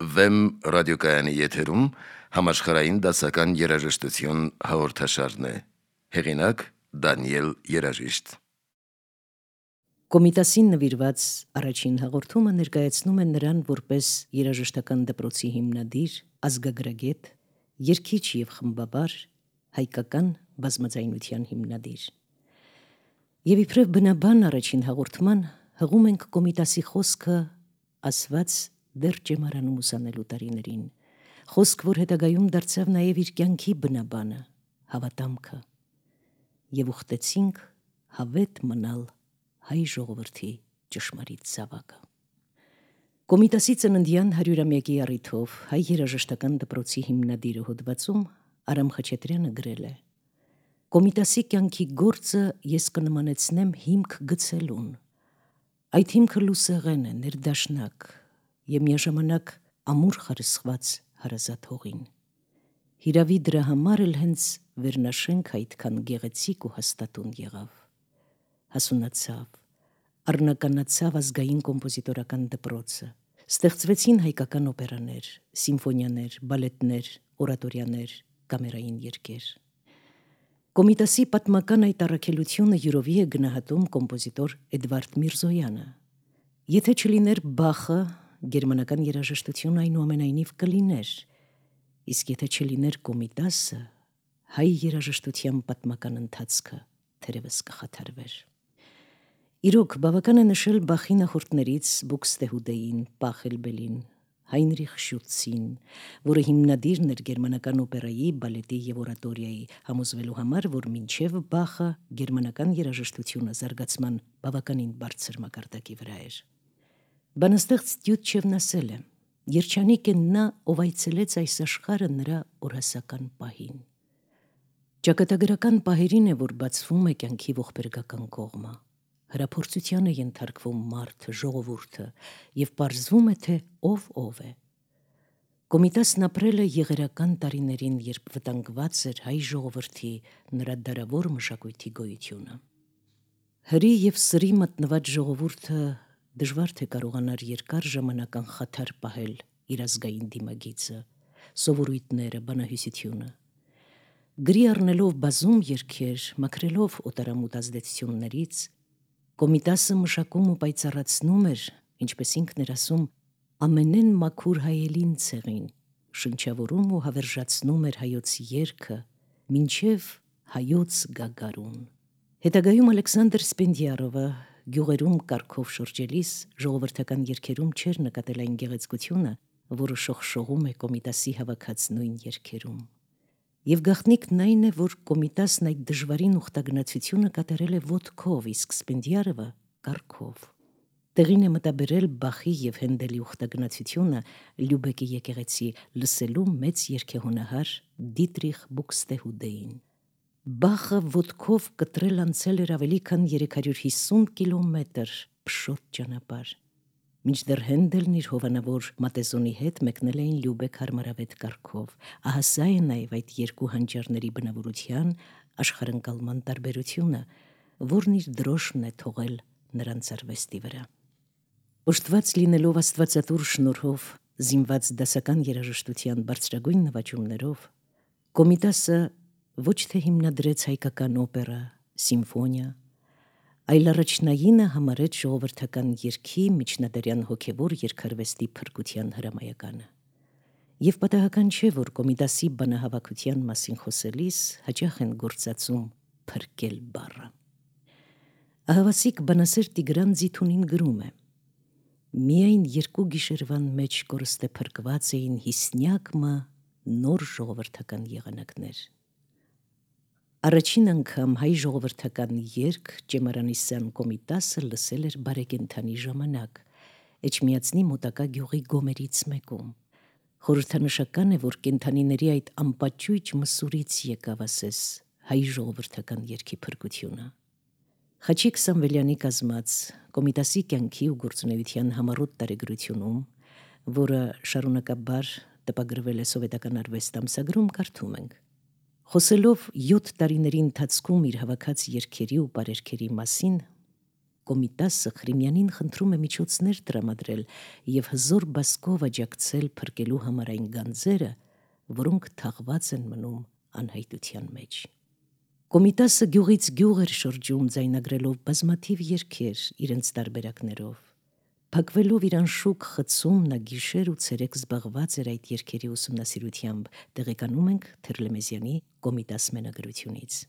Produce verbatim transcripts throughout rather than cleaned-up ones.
Վեմ ռադիոկայանի եթերում համաշխարհային դասական երաժշտություն հաղորդաշարն է։ Հեղինակ Դանիել Երաժիշտ։ Կոմիտասին նվիրված առաջին հաղորդումը ներկայացնում է նրան որպես երաժշտական դպրոցի հիմնադիր, ազգագրագետ, երգիչ և խմբաբար, հայկական բազմաձայնության հիմնադիր։ Եվ իբրև բնաբան առաջին հաղորդման հղում ենք Կոմիտասի խոսքը ասված դեռ ճեմարանում ուսանելու տարիներին, խոսք, որ հետագայում դարձավ նաև իր կյանքի բնաբանը, հավատամքը, և ուխտեցինք հավետ մնալ հայ ժողովրդի ճշմարիտ զավակը։ Կոմիտասի ծննդյան հարյուրամյակի առիթով հայ երաժշտական դպրոցի հիմնադիրը հոդվածում Արամ Խաչատրյանը գրել է. «Կոմիտասի կյանքի գործը ես կնմանեցնեմ հիմք գցելուն։ Այդ հիմքը լուսեղեն է, ներդաշնակ և միաժամանակ ամուր խարսխված հարազատ հողին։ Հիրավի դրա համար էլ հենց վերնաշենք այդքան գեղեցիկ ու հաստատուն եղավ։ Հասունացավ, առնականացավ ազգային կոմպոզիտորական դպրոցը, ստեղծվեցին հայկական օպերաներ, սիմֆոնիաներ, բալետներ, օրատորյաներ, կամերային երգեր։ Կոմիտասի պատմական այդ առաքելությունը յուրովի է գնահատում կոմպոզիտոր Էդվարդ Միրզոյանը։ Եթե չլիներ Բախը, գերմանական երաժշտությունը այնուամենայնիվ կլիներ, իսկ եթե չլիներ Կոմիտասը, հայ երաժշտության պատմական ընթացքը թերևս կխաթարվեր։ Իրոք, բավական է նշել Բախի նախորդներից Բուքստեհուդեին, Պախելբելին, Հայնրիխ Շուտցին, որը հիմնադիրն էր գերմանական օպերայի, բալետի և օրատորիայի, համոզվելու համար, որ մինչև Բախը գերմանական երաժշտությունը զարգացման բավականին բարձր մակարդակի վրա էր։ Բանաստեղծ Տյութչևն ասել է. «Երջանիկ է նա, ով այցելեց այս աշխարհը նրա օրհասական պահին»։ Ճակատագրական պահերին է, որ բացվում է կյանքի ողբերգական կողմը, հրափորձության է ենթարկվում մարդը, ժողովուրդը, և պարզվում է, թե ով ով է։ Կոմիտասն ապրել է եղերական տարիներին, երբ վտանգված էր հայ ժողովրդի նրա դարավոր մշակույթի գոյությունը։ Հրի և սրի մատնված ժողովուրդը դժվար թե կարողանար երկար ժամանակ անխաթար պահել իր ազգային դիմագիծը, սովորույթները, բանահյուսությունը։ Գրի առնելով բազում երգեր, մաքրելով օտարամուտ ազդեցություններից, Կոմիտասը մշակում ու պայծառացնում էր, ինչպես ինքն էր ասում, ամենեն մաքուր հայելին ցեղին, շնչավորում ու հավերժացնում էր հայոց երգը, մինչև հայոց գագարուն։ Հետագայում Ալեքսանդր Սպենդիարովը գյուղերում կառքով շրջելիս ժողովրդական երգերում չէր նկատել այն գեղեցկությունը, որը շողշողում է Կոմիտասի հավաքած նույն երգերում։ Եվ գաղտնիքն այն է, որ Կոմիտասն այդ դժվարին ուխտագնացությունը կատարել է ոտքով, իսկ Սպենդիարովը կառքով։ Տեղին է մտաբերել Բախի և Հենդելի ուխտագնացությունը Լյուբեկի եկեղեցի լսելու մեծ երգեհոնահար Դիտրիխ Բուքստեհուդեին։ Բախը ոտքով կտրել անցել էր ավելի քան երեք հարյուր հիսուն կիլոմետր փշոտ ճանապարհ, մինչդեռ Հենդելն իր հովանավոր Մատեզոնի հետ մեկնել էին Լյուբեք հարմարավետ կառքով։ Ահա սա է նաև այդ երկու հանճարների բնավորության, աշխարհընկալման տարբերությունը, որն իր դրոշն է թողել նրանց արվեստի վրա։ Օժտված լինելով աստվածատուր շնորհով, զինված դասական երաժշտության բարձրագույն նվաճումներով, Կոմիտասը ոչ թե հիմնադրեց հայկական օպերա, սիմֆոնիա, այլ առաջնայինը համարեց ժողովրդական երգի միջնադարյան հոգևոր երգարվեստի փրկության հրամայականը։ Եվ պատահական չէ, որ Կոմիտասի բանահավաքության մասին խոսելիս հաճախ են գործածում «փրկել» բառը։ Ահավասիկ բանասեր Տիգրան Ձիթունին գրում է. «Միայն երկու գիշերվան մեջ կորստե փրկված էին հիսնյակ մը նոր ժողովրդական եղանակներ»։ Առաջին անգամ հայ ժողովրդական երգ Ճեմարանիսյան Կոմիտասը լսել էր բարեկենդանի ժամանակ, Էջմիածնի մոտակա գյուղի գոմերից մեկում։ Խորհրդանշական է, որ կենդանիների այդ անպաճույճ մսուրից եկավ ասես հայ ժողովրդական երգի փրկությունը։ Խաչիկ Սամվելյանի կազմած Կոմիտասի կյանքի ու գործունեության համառոտ տարեգրությունում, որը շարունակաբար տպագրվել է Սովետական արվեստ ամսագրում, կարդում ենք. Խոսելով յոթ տարիների ընթացքում իր հավաքած երգերի ու պարերգերի մասին, Կոմիտասը Խրիմյանին խնդրում է միջոցներ տրամադրել եւ հզոր բասկով աջակցել փրկելու համար այն գանձերը, որոնք թաղված են մնում անհայտության մեջ։ Կոմիտասը գյուղից գյուղ էր շրջում, ձայնագրելով բազմաթիվ երգեր իրենց տարբերակներով։ Փակվելով իր անշուք խցում, նա գիշեր ու ցերեկ զբաղված էր այդ երգերի ուսումնասիրությամբ, տեղեկանում ենք Թերլեմեզյանի Կոմիտաս մենագրությունից։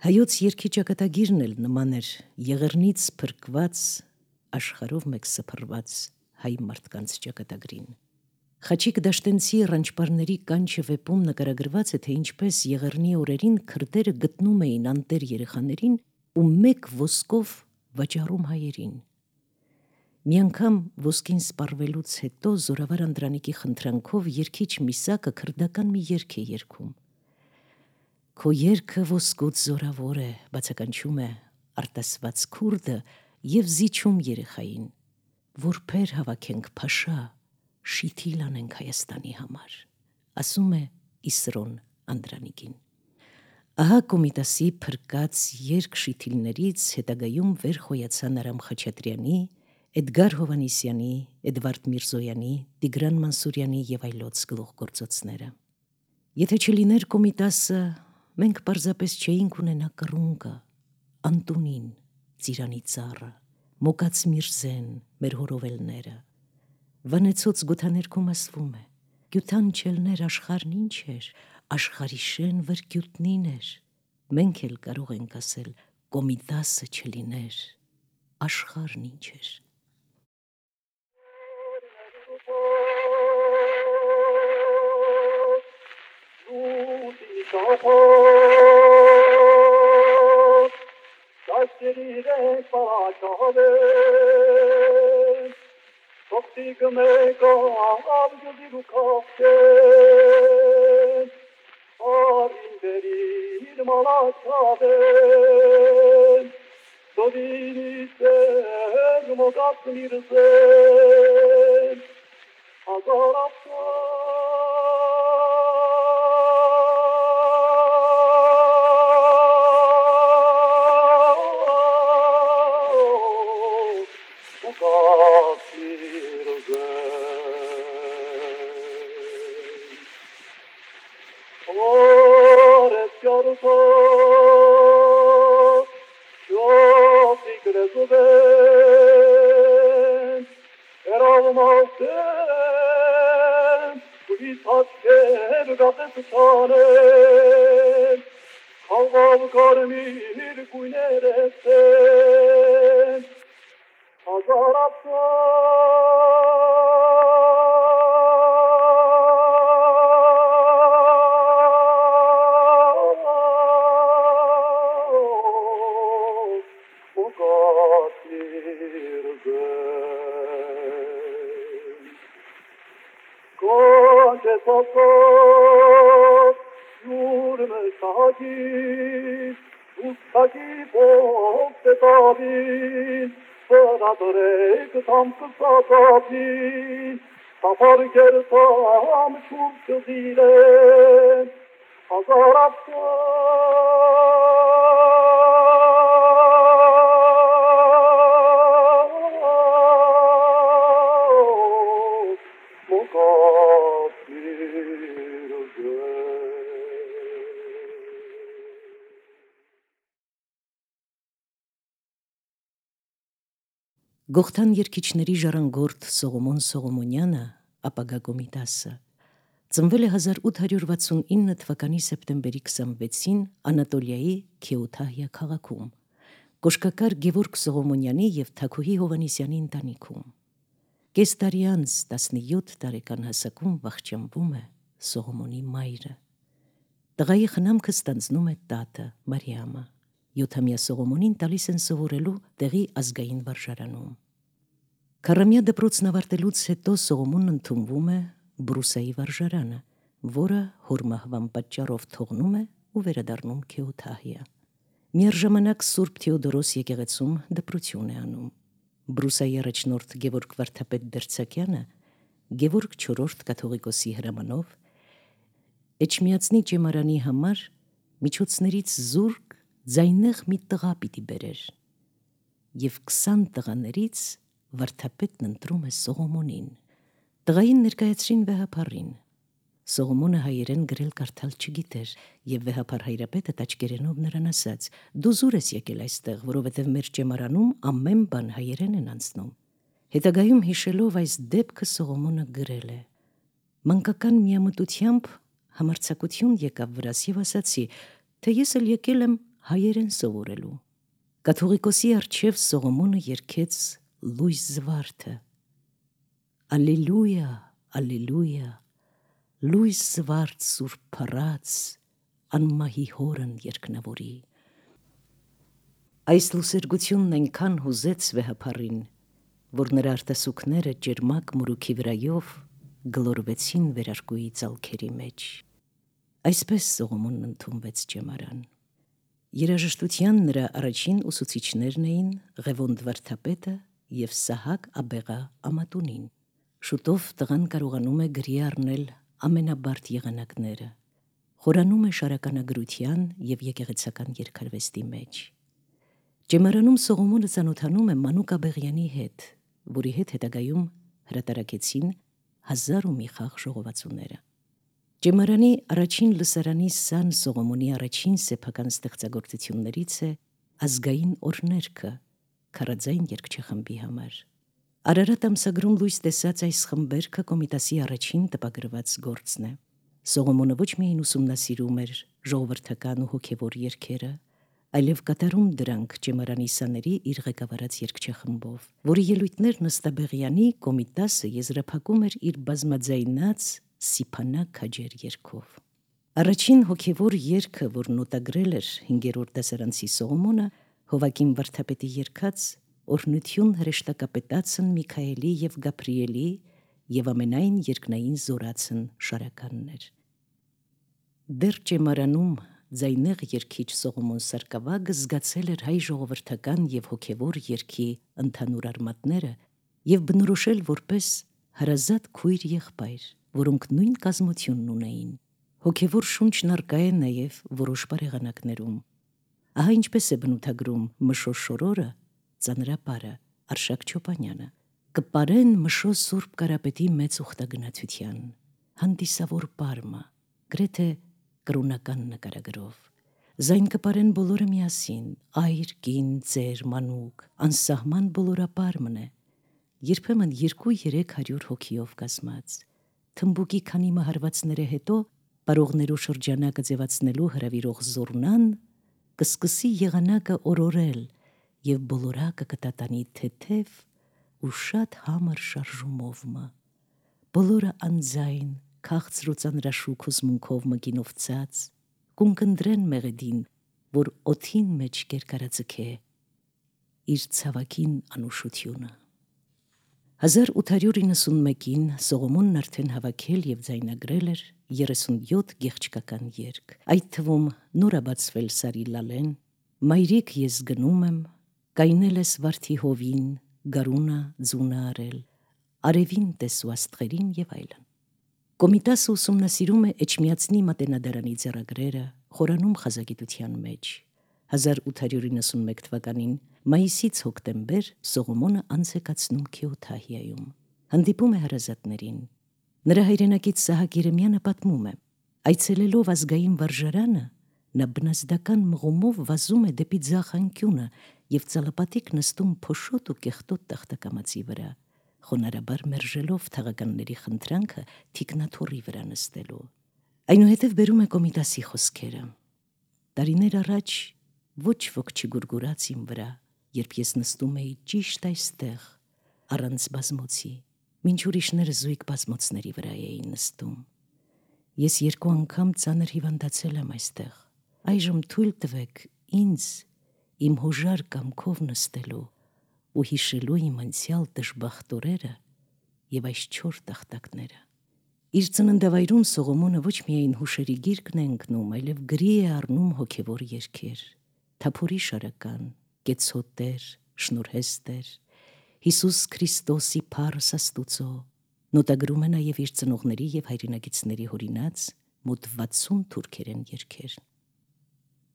Հայոց երգի ճակատագիրն էլ նման էր եղեռնից փրկված, աշխարհով մեկ սփռված հայ մարդկանց ճակատագրին։ Խաչիկ Դաշտենցի Ռանչպարների կանչը վեպում նկարագրված է, թե ինչպես եղեռնի օրերին քրդերը գտնում էին անտեր երեխաներին ու մեկ ոսկով վաճառում հայերին։ Մի անգամ ոսկին սպառվելուց հետո Զորավար Անդրանիկի խնդրանքով երգիչ Միսակը քրդական մի երգ է երգում։ Քո երգը ոսկուց զորավոր է, բացականչում է արտասված քուրդը եւ զիջում երեխային, որբեր հավաքենք փաշա, շիթիլ անենք Հայաստանի համար, ասում է Իսրոն Անդրանիկին։ Ահա Կոմիտասի փրկած երգ շիթիլներից հետագայում վեր խոյացան Արամ Խաչատրյանի, Էդգար Հովանիսյանի, Էդվարդ Միրզոյանի, Տիգրան Մանսուրյանի եւ այլոց գլուխգործոցները։ Եթե չլիներ Կոմիտասը, մենք պարզապես չէինք ունենա կռունկը, Անտունին, Ծիրանի ծառը, Մոկաց Միրզեն, մեր հորովելները։ Վանեցոց գութաներքում ասվում է. գյուտան չելներ աշխարհն ինչ էր, աշխարհի շեն վրգյուտնին էր։ Մենք էլ կարող ենք ասել Կոմիտասը չլիներ, աշխարհն ինչ էր։ Գողթան երգիչների ժառանգորդ Սողոմոն Սողոմոնյանը, ապագա Կոմիտասը, ծնվել է հազար ութ հարյուր վաթսունինը թվականի սեպտեմբերի քսանվեցին Անատոլիայի Քեութահիա քաղաքում, կոշկակար Գևորգ Սողոմոնյանի եւ Թաքուհի Հովանիսյանի ընտանիքում։ Կես տարի անց տասնյոթ տարեկան հասակում վախճանվում է Սողոմոնի մայրը։ Տղայի խնամքը ստանձնում է տատը Մարիամը։ Յոթամյա Սողոմոնին տալիս են սովորելու տեղի ազգային վարժարանում։ Քառամյա դպրոցն ավարտելուց հետո Սողոմոնն ընդունվում է Բրուսայի վարժարանը, որը հորմահվան պատճառով թողնում է ու վերադառնում Քեութահիա։ Միառժամանակ Սուրբ Թեոդորոս եկեղեցում դպրություն է անում։ Բրուսայի առաջնորդ Գևորգ Վարդապետ Դերցակյանը Գևորգ չորրորդ կաթողիկոսի հրամանով Էջմիածնի ճեմարանի համար միջոցներից զուրկ ձայնեղ մի տղա պիտի բերեր։ եւ քսան տղաներից վարդապետն ընտրում է Սողոմոնին։ Տղային ներկայացրին վեհապարին։ Սողոմոնը հայերեն գրել կարդալ չգիտեր, եւ վեհապար հայրապետը տաճկերենով նրան ասաց. «Դու զուր ես եկել այստեղ, որովհետեւ մեր ճեմարանում ամեն բան հայերեն են անցնում»։ Հետագայում հիշելով այս դեպքը Սողոմոնը գրել է. «Մանկական միամտությամբ համարձակություն եկավ վրաս եւ ասացի, թե ես էլ եկել եմ հայերեն սովորելու»։ Կաթողիկոսի առջև Սողոմոնը երգեց լույս զվարթը. Ալելույա, ալելույա, լույս զվարթ սուրբ փառած, անմահի հորն երկնավորի։ Այս լուսերգությունն այնքան հուզեց վեհապարին, որ նրա արտասուքները ջերմակ մուրուքի վրայով գլորվեցին վերարկուի ծալքերի մեջ։ Այսպես Սողոմոնն ընդունվեց ճեմարան։ Երաժշտության նրա առաջին ուսուցիչներն էին Ղևոնդ վարդապետը եւ Սահակ Աբեղա Ամատունին։ Շուտով տղան կարողանում է գրի առնել ամենաբարդ եղանակները, խորանում է շարականագրության եւ եկեղեցական երգարվեստի մեջ։ Ճեմարանում Սողոմոնը ծանոթանում է Մանուկ Աբեղյանի հետ, որի հետ հետագայում հրատարակեցին հազար ու մի խաղ ժողովածուները։ Ճեմարանի առաջին լսարանի Սան Սողոմոնի առաջին սեփական ստեղծագործություններից է ազգային օրհներգը քարաձայն երգչախմբի համար։ Արարատ ամսագրում լույս տեսած այս խմբերգը Կոմիտասի առաջին տպագրված գործն է։ Սողոմոնը ոչ միայն ուսումնասիրում էր ժողովրդական ու հոգևոր երգերը, այլև կատարում դրանք ճեմարանի սաների իր ղեկավարած երգչախմբով, որի ելույթներն ըստ Աբեղյանի Կոմիտասը եզրափակում էր իր բազմաձայնած Սիփանա քաջեր երգով։ Առաջին հոգևոր երգը, որ նոտագրել էր հինգերորդ դասարանցի Սողոմոնը, Հովակիմ վարդապետի երգած օրհնություն հրեշտակապետացն Միքայելի եւ Գաբրիելի եւ ամենայն երկնային զորացն շարականն էր։ Դեռ ճեմարանում ձայնեղ երգիչ Սողոմոն Սարգսակը զգացել էր հայ ժողովրդական եւ հոգևոր երգի ընդհանուր արմատները եւ բնորոշել որպես հարազատ քույր եղբայր, որոնք նույն կազմությունն ունեին։ Հոգևոր շունչն արկա է նաեւ որոշ բարեղանակներում։ Ահա ինչպես է բնութագրում Մշո շորորը, ծանրապարը Արշակ Չոպանյանը. «Կպարեն Մշո Սուրբ Կարապետի մեծ ուխտագնացության, հանդիսավոր պարմը, գրեթե կրոնական նկարագրով։ Զայն կպարեն բոլորը միասին, այր, կին, ծեր, մանուկ, անսահման բոլորապարմն է, երբեմն երկու-երեք հարյուր հոգիով կազմած։ Թմբուկի քանի մահարվածները հետո պարողներու շրջանակը ձևացնելու հրավիրող զորնան կսկսի եղանակը օրորել եւ բոլորակը կտատանի թեթև ու շատ համր շարժումովմը։ Բոլորը անձայն, քաղցր ու ծանրաշուք հուզմունքով մգինով ծած, կունկնդրեն մեղեդին, որ օթին մեջ կերկարածքե իր ցավակին անուշությունը»։ հազար ութ հարյուր իննսունմեկին Սողոմոնն արդեն հավաքել եւ ձայնագրել էր երեսունյոթ գեղչկական երգ, այդ թվում նորաբացվել Սարի լալեն, Մայրիկ ես գնում եմ, կայնել ես վարդի հովին, գարունա ձունը արել, արևին տեսու աստղերին եւ այլն։ Կոմիտասը ուսումնասիրում է Էջմիածնի մատենադարանի ձեռագրերը, խորանում խազագիտության մեջ։ հազար ութ հարյուր իննսունմեկ թվականին մայիսից հոկտեմբեր Սողոմոնը անց է կացնում Քեոթահիայում։ Հանդիպում է հարազատներին։ Նրա հայրենակից Սահակ Երեմյանը պատմում է. այցելելով ազգային վարժարանը, նա բնազդական մղումով վազում է դեպի ձախ անկյունը եւ ծալապատիկ նստում փոշոտ ու կեղտոտ տախտակամածի վրա, խոնարհաբար մերժելով թաղականների խնդրանքը թիկնաթոռի վրա նստելու։ Այնուհետև բերում է Կոմիտասի խոսքերը. տարիներ առաջ ոչ ոք չգուրգուրաց իմ վրա, երբ ես նստում էի ճիշտ այստեղ, առանց բազմոցի, մինչ ուրիշները զույգ բազմոցների վրա էին նստում։ Ես երկու անգամ ծանր հիվանդացել եմ այստեղ։ Այժմ թույլ տվեք ինձ իմ հոժար կամքով նստելու ու հիշելու իմ անցյալ դժբախտ օրերը եւ այս չոր տախտակները։ Իր ծննդավայրում Սողոմոնը ոչ միայն հուշերի գիրկն է ընկնում, այլև գրի է առնում հոգևոր երգեր, Թափորի շարական, Կեցոտեր, Շնորհեստեր, Հիսուս Քրիստոսի Փառս Աստուծո, նոտագրում է նաև իր ծնողների եւ հայրենագիցների հորինած մոտ վաթսուն թուրքերեն երգեր։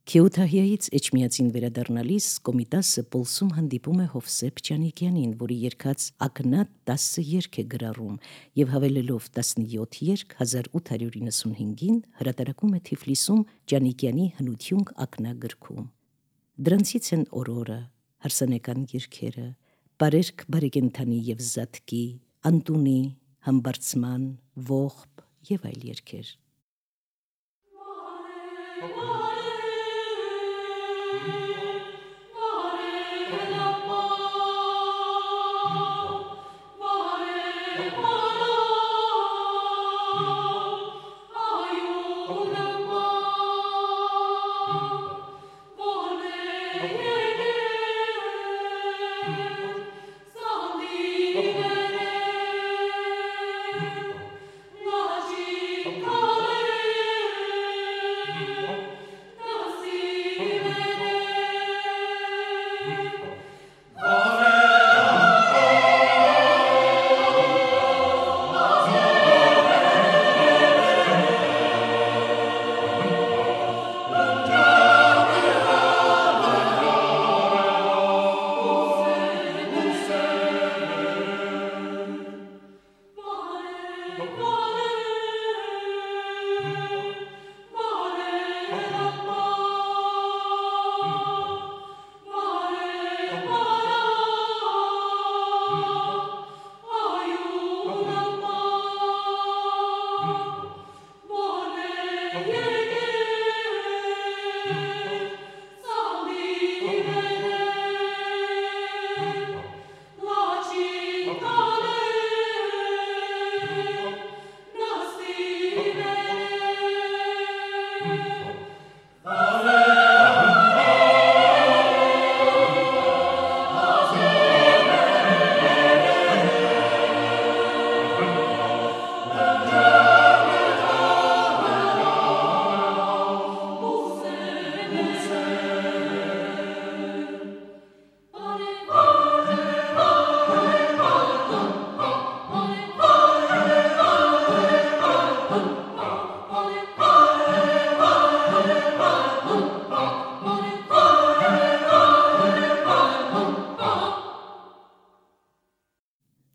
Քեութահիայից Էջմիածին վերադառնալիս Կոմիտասը Պոլսում հանդիպում է Հովսեփ Ջանիկյանին, որի երգած ակնատ տասը երգ է գրառում եւ հավելելով տասնյոթ երգ հազար ութ հարյուր իննսունհինգին հրատարակում է Թիֆլիսում Ջանիկյանի հնությունք ակնագրքում։ Դրանցից են Օրորը, հարսանեկան երգերը, Բարերք բարեկենթանի եւ Զատկի, Անտունի, Համբարձման, Ողբ եւ այլ երգեր։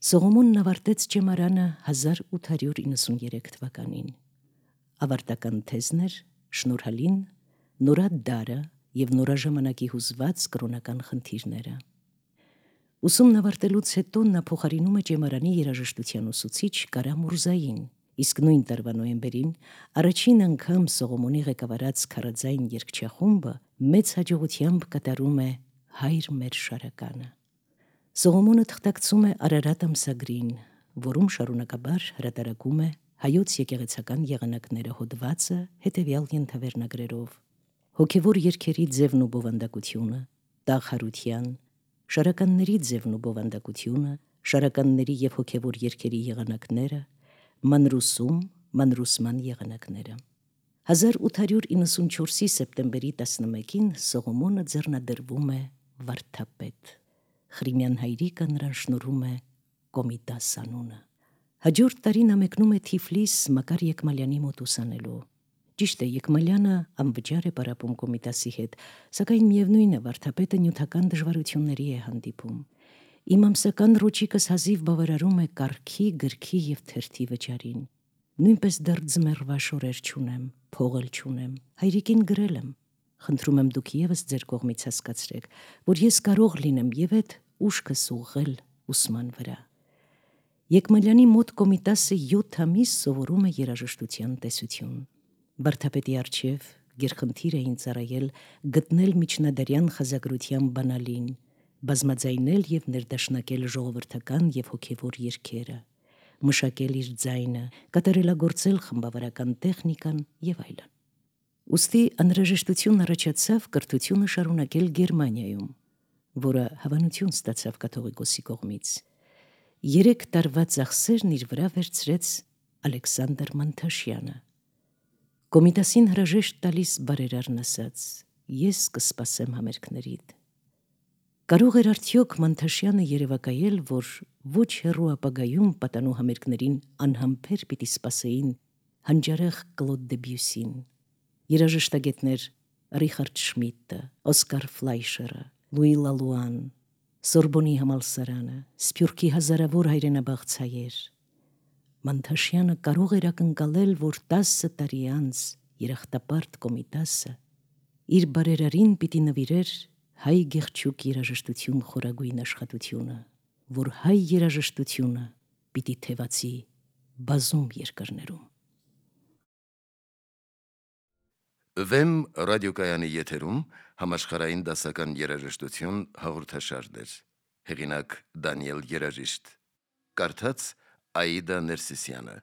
Սողոմոնն ավարտեց ճեմարանը հազար ութ հարյուր իննսուներեք թվականին։ Ավարտական թեզն էր Շնորհալին, նորա դարը եւ նորաժամանակի հուզված կրոնական խնդիրները։ Ուսումն ավարտելուց հետո նա փոխարինում է ճեմարանի երաժշտության ուսուցիչ Կարա Մուրզային, իսկ նույն տարվա նոյեմբերին առաջին անգամ Սողոմոնի ղեկավարած քարաձայն երգչախումբը մեծ հաջողությամբ կատարում է Հայր մեր շարականը։ Սողոմոնը թղթակցում է Արարատ ամսագրին, որում շարունակաբար հրատարակում է հայոց եկեղեցական եղանակները հոդվածը հետևյալ ենթավերնագրերով. հոգևոր երգերի ձևն ու բովանդակությունը, տաղ հարության, շարականների ձևն ու բովանդակությունը, շարականների եւ հոգևոր երգերի եղանակները, մանրուսում, մանրուսման եղանակները։ հազար ութ հարյուր իննսունչորսի սեպտեմբերի տասնմեկին Սողոմոնը ձեռնադրվում է վարդապետ։ Խրիմյան հայրիկը նրան շնորհում է Կոմիտաս անունը։ Հաջորդ տարին նա մեկնում է Թիֆլիս Մակար Եկմալյանի մոտ ուսանելու։ Ճիշտ է, Եկմալյանը անվճար է պարապում Կոմիտասի հետ, սակայն միևնույն է, վարդապետը նյութական դժվարությունների է հանդիպում։ Իմ ամսական ռոճիկս հազիվ բավարարում է կառքի, գրքի եւ թերթի վճարին։ Նույնպես դեռ ձմեռվա շորեր չունեմ, փող էլ չունեմ, հայրիկին գրել եմ։ Խնդրում եմ դուք եւս ձեր կողմից հասկացրեք, որ ես կարող լինեմ եւ այդ ուշքս ուղղել ուսման վրա։ Եկմալյանի մոտ Կոմիտասը յոթ ամիս սովորում է երաժշտության տեսություն։ Վարդապետի առջև գերխնդիր էին ծառայել գտնել միջնադարյան խազագրության բանալին, բազմաձայնել եւ ներդաշնակել ժողովրդական եւ հոգեվոր երգերը, մշակել իր ձայնը, կատարելագործել խմբավարական տեխնիկան եւ այլն։ Ուստի անհրաժեշտություն առաջացավ կրթությունը շարունակել Գերմանիայում, որը հավանություն ստացավ կաթողիկոսի կողմից։ Երեք տարվա ծախսերն իր վրա վերցրեց Ալեքսանդր Մանթաշյանը։ Կոմիտասին հրաժեշտ տալիս բարերարն ասաց. ես կսպասեմ համերգներիդ։ Կարող էր արդյոք Մանթաշյանը երևակայել, որ ոչ հեռու ապագայում պատանու համերգներին անհամբեր պիտի սպասեին հանճարեղ Կլոդ Դեբյուսին։ Երաժշտագետներ Ռիխարդ Շմիդտը, Օսկար Ֆլայշերը, Լուի Լալուան, Սորբոնի համալսարանը, Սփյուռքի հազարավոր հայրենաբաղցայեր։ Մանթաշյանը կարող էր ակնկալել, որ տասը տարի անց երախտապարտ Կոմիտասը իր բարերարին պիտի նվիրեր հայ գեղչուկ երաժշտություն խորագույն աշխատությունը, որ հայ երաժշտությունը պիտի թևացի բազում երկրներում։ Վեմ ռադիոկայանի եթերում համաշխարհային դասական երաժշտություն հաղորդաշարներ։ Հեղինակ Դանիել Երաժիշտ, կարդաց Աիդա Ներսիսյանը։